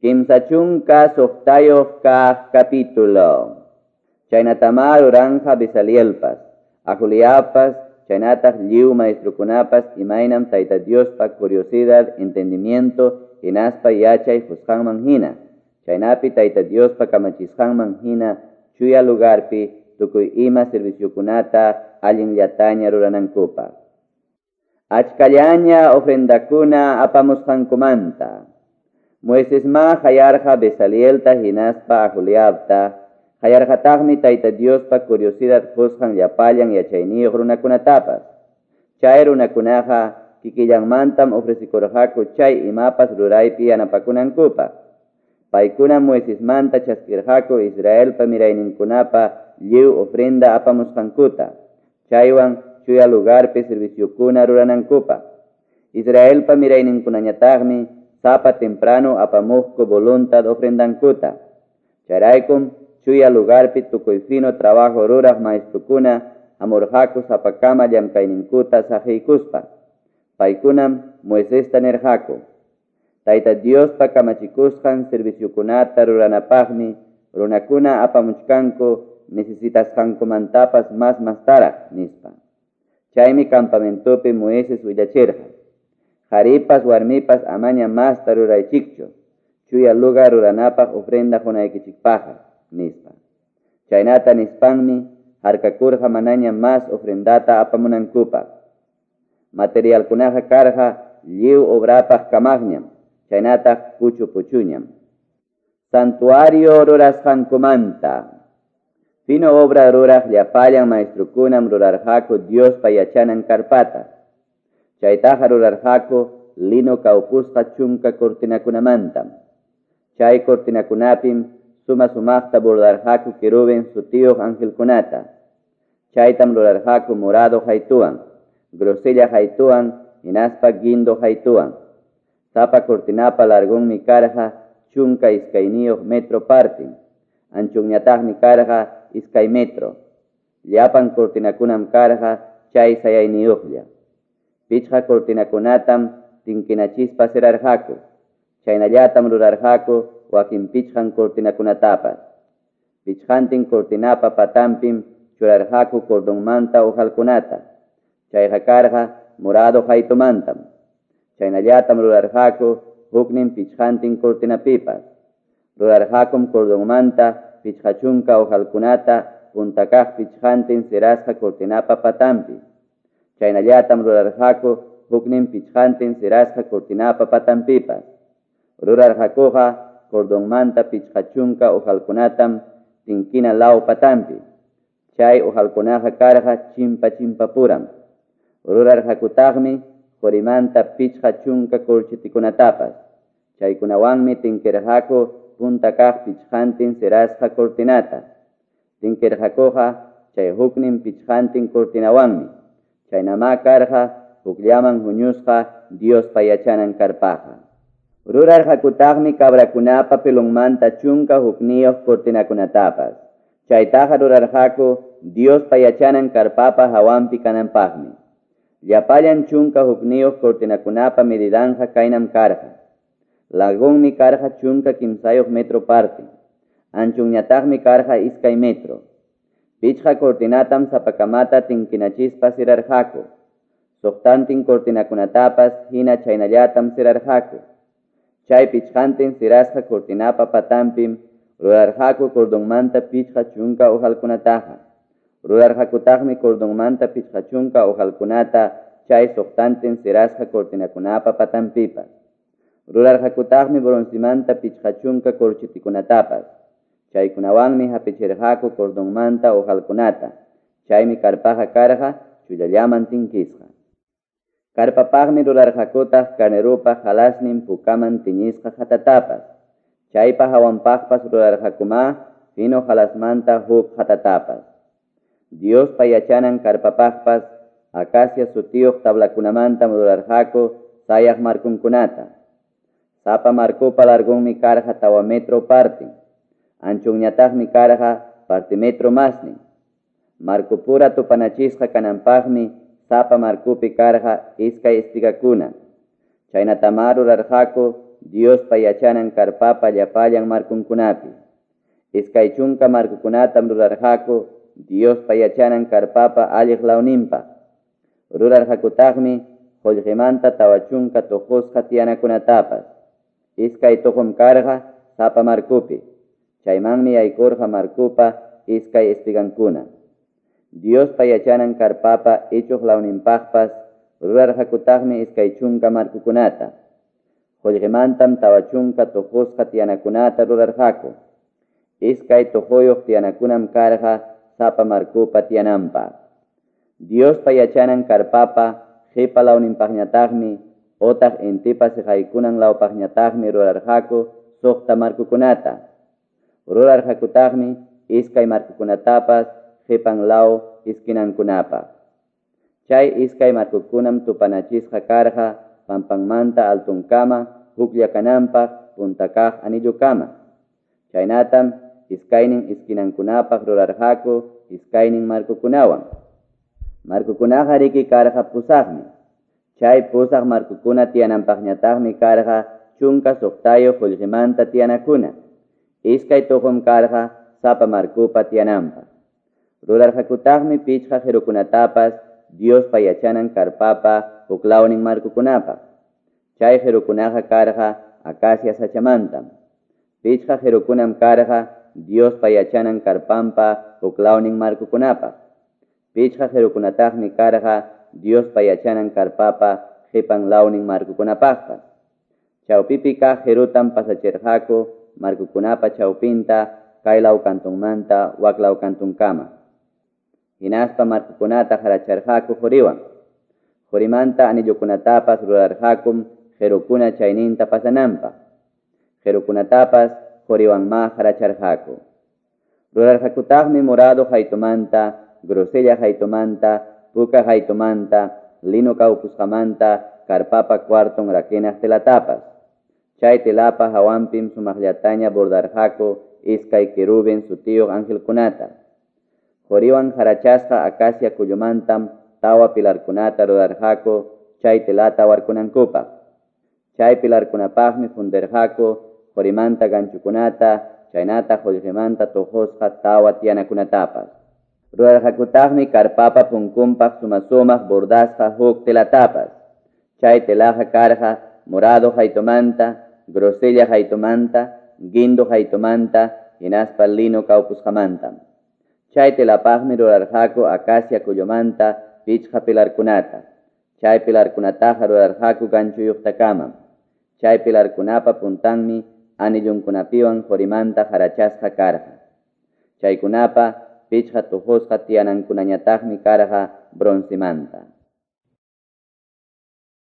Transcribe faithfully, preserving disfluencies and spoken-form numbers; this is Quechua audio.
Kimsa chunka suqtayuq kaq capítulo. Chaynatamá ruranja Bezalielpas, Aholiabpas, chaynataq lliw maestrukunapas imaynam Tayta Diospa curiosidad, entendimiento, hinaspa yachay qusqanman hina. Chaynapi Tayta Diospa kamachisqanman hina chuya lugarpi tukuy ima serviciokunata allinllataña ruranankupaq. Achkallaña ofrendakuna apamusqankumanta. Moisesma hayarqa Bezalielta hinaspa Aholiabta, hayarqataqmi Tayta Diospa curiosidad qusqan llapallan yachayniyuq runakunatapas. Chay runakunaqa kikillanmantam ofrecikurqaku chay imapas ruraypi yanapakunankupaq. Paykunam Moisesmanta chaskirqaku Israelpa mirayninkunapa lliw ofrenda apamusqankuta, chaywan chuya lugarpi serviciokuna ruranankupaq. Israelpa mirayninkunañataqmi sapa temprano apamuqku voluntad ofrendankuta. Chayraykum chuya lugarpi tukuy fino trabajo ruraq maestrukuna hamurqaku sapakama llamkayninkuta saqiykuspa. Paykunam Moisesta nirqaku: Tayta Diospa kamachikusqan serviciokunata ruranapaqmi runakuna apamuchkanku necesitasqankumantapas mas mastaraq, nispa. Chaymi campamentopi Moisés willachirqa: Qharipas warmipas amaña masta ruraychikchu, chuya lugar ruranapaq ofrenda qunaykichikpaqqa, nispa. Chaynata nispanmi harkakurqa manaña mas ofrendata apamunankupaq. Materialkunaqa karqa lliw obrapaq kamaqñam, chaynataq puchu puchuñam. Santuario rurasqankumanta. Fino obra ruraq llapallan maestrukunam rurarqaku Diospa yachanan karpata. Chaytaqa rurarqaku lino kawpusqa chunka cortinakunamantam. Chay cortinakunapim suma sumaqta bordarqaku querubin sutiyuq angelkunata. Chaytam rurarqaku morado haytuwan, grosella haytuwan, hinaspa guindo haytuwan. Sapa cortinapa largonmi karqa chunka iskayniyuq metro partin, anchunñataqmi karqa iskay metro. Llapan cortinakunam karqa chay sayayniyuqlla. Pichqa cortinakunatam tinkinachispa sirarqaku. Chaynallatam rurarqaku wakin pichqan cortinakunatapas. Pichqantin cortinapa patanpim churarqaku cordonmanta hojalkunata. Chayqa karqa morado haytumantam. Chaynallatam rurarqaku huknin pichqantin cortinapipas. Rurarqakum cordonmanta pichqa chunka hojalkunata puntakaq pichqantin sirasqa cortinapa patanpi. Chaynallatam rurarqaku huknin pichqantin sirasqa cortinapa patanpipas. Rurarqakuqa cordonmanta pichqa chunka hojalkunatam tinkina law patanpi. Chay hojalkunaqa karqa chimpa chimpapuram. Rurarqakutaqmi qorimanta pichqa chunka corchitikunatapas. Chaykunawanmi tinkirqaku punta kaq pichqantin sirasqa cortinata. Tinkirqakuqa chay huknin pichqantin cortinawanmi. Chaynamá karqa hukllaman huñusqa Diospa yachanan karpaqa. Rurarqakutaqmi cabrakunapa pelonmanta chunka hukniyuq cortinakunatapas. Chaytaqa rurarqaku Diospa yachanan karpapa hawanpi kananpaqmi. Llapallan chunka hukniyuq cortinakunapa medidanja kaynam karqa. Largonmi karqa chunka kimsayuq metro parte. Anchunñataqmi karqa iskay metro. Pichqa cortinatam sapakamata tinkinachispa sirarqaku. Suqtantin cortinakunatapas hina chaynallatam sirarqaku. Chay pichqantin sirasqa cortinapa patanpim rurarqaku cordonmanta pichqa chunka hojalkunataqa. Rurarqakutaqmi cordonmanta pichqa chunka hojalkunata chay suqtantin sirasqa cortinakunapa patanpipas. Rurarqakutaqmi broncemanta pichqa chunka corchitikunatapas. Chaykunawanmi hapichirqaku cordonmanta hojalkunata. Chaymi karpaqa karqa chullallaman tinkisqa. Karpapaqmi rurarqakutaq carnerupa halasnin pukaman tiñisqa hatatapas. Chaypa hawanpaqpas rurarqakumá fino halasmanta huk hatatapas. Diospa yachanan karpapaqpas acacia sutiyuq tablakunamantam rurarqaku sayaq markunkunata. Sapa markupa largonmi karqa tawa metro partin. Anchunñataqmi karqa parte metro masnin. Markupura tupanachisqa kananpaqmi sapa markupi karqa iskay espigakuna. Chaynatamá rurarqaku Diospa yachanan karpapa llapallan marconkunapi. Iskay chunka marcokunatam rurarqaku Diospa yachanan karpapa alliq lawninpaq. Rurarqakutaqmi qullqimanta tawa chunka tuqusqa tiyanakunatapas. Iskay tuqum karqa sapa marcopi. Chaymanmi yaykurqa marcopa iskay espigankuna. Diospa yachanan karpapa ichuq lawninpaqpas rurarqakutaqmi iskay chunka marcokunata. Qullqimantam tawa chunka tuqusqa tiyanakunata rurarqaku. Iskay tuquyuq tiyanakunam karqa sapa marcopa tiyananpaq. Diospa yachanan karpapa qipa lawninpaqñataqmi otaq intipa siqaykunan lawpaqñataqmi rurarqaku suqta marcokunata. Rurarqakutaqmi iskay marcokunatapas qipan law iskinankunapaq. Chay iskay marcokunam tupanachisqa karqa pampanmanta altunkama huklla kananpaq punta kaq anillukama. Chaynatam iskaynin iskinankunapaq rurarqaku iskaynin marcokunawan. Marcokunaqa riki karqa pusaqmi. Chay pusaq marcokuna tiyananpaqñataqmi karqa chunka suqtayuq qullqimanta tiyanakuna. Iskay tuqum karqa sapa marcopa tiyananpaq. Rurarqakutaqmi pichqa qirukunatapas Diospa yachanan karpapa huklawnin marcokunapaq. Chay qirukunaqa karqa acacia sachamantam. Pichqa qirukunam karqa Diospa yachanan karpanpa huklawnin marcokunapaq. Pichqa qirukunataqmi karqa Diospa yachanan karpapa qipan lawnin marcokunapaqpas. Chawpipi kaq qirutam pasachirqaku marcokunapa chawpinta kay law kantunmanta wak law kantunkama. Hinaspa marcokunata qaracharqaku quriwan. Qurimanta anillukunatapas rurarqakum qirukuna chayninta pasananpaq. Qirukunatapas quriwanmá qaracharqaku. Rurarqakutaqmi morado qaytumanta, grosella qaytumanta, puka qaytumanta, lino kawpusqamanta, karpapa cuarton rakinaq telatapas. Chay telapa hawanpim sumaqllataña bordarqaku iskay querubin sutiyuq angelkunata. Quriwan qarachasqa acacia kullumantam tawa pilarkunata rurarqaku chay telata warkunankupaq. Chay pilarkunapaqmi fundirqaku qurimanta ganchukunata, chaynata qullqimanta tuqusqa tawa tiyanakunatapas. Rurarqakutaqmi karpapa punkunpaq suma-sumaq bordasqa huk telatapas. Chay telaqa karqa morado qaytumanta, grosella qaytumanta, guindo qaytumanta, hinaspa lino kawpusqamantam. Chay telapaqmi rurarqaku acacia kullumanta pichqa pilarkunata. Chay pilarkunataqa rurarqaku ganchuyuqtakamam. Chay pilarkunapa puntanmi anillunkunapiwan qurimanta qarachasqa karqa. Chaykunapa pichqa tuqusqa tiyanankunañataqmi karqa broncemanta.